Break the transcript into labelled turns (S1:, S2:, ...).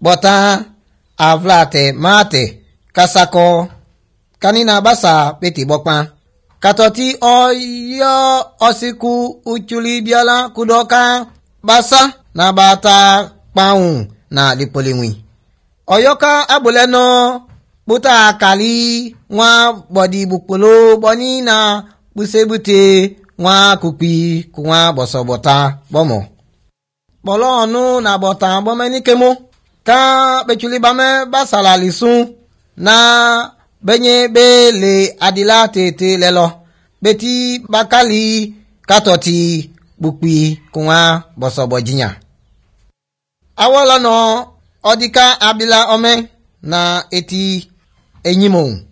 S1: bota avlate mate kasako kanina basa peti bokpa katoti oyo osiku uchuli biala kudoka basa na bata paun na lipolingwi oyoka abuleno buta kali nwa bodi bukpolo boni na busebute nwa kupi kunwa bosobota bomo bolo onu na bota bomenikemo ka bechuli bame basala lisun na benye bele adila tete lelo beti bakali katoti bukpi kunwa bosobojinya awolo no odika abila ome na eti enyimon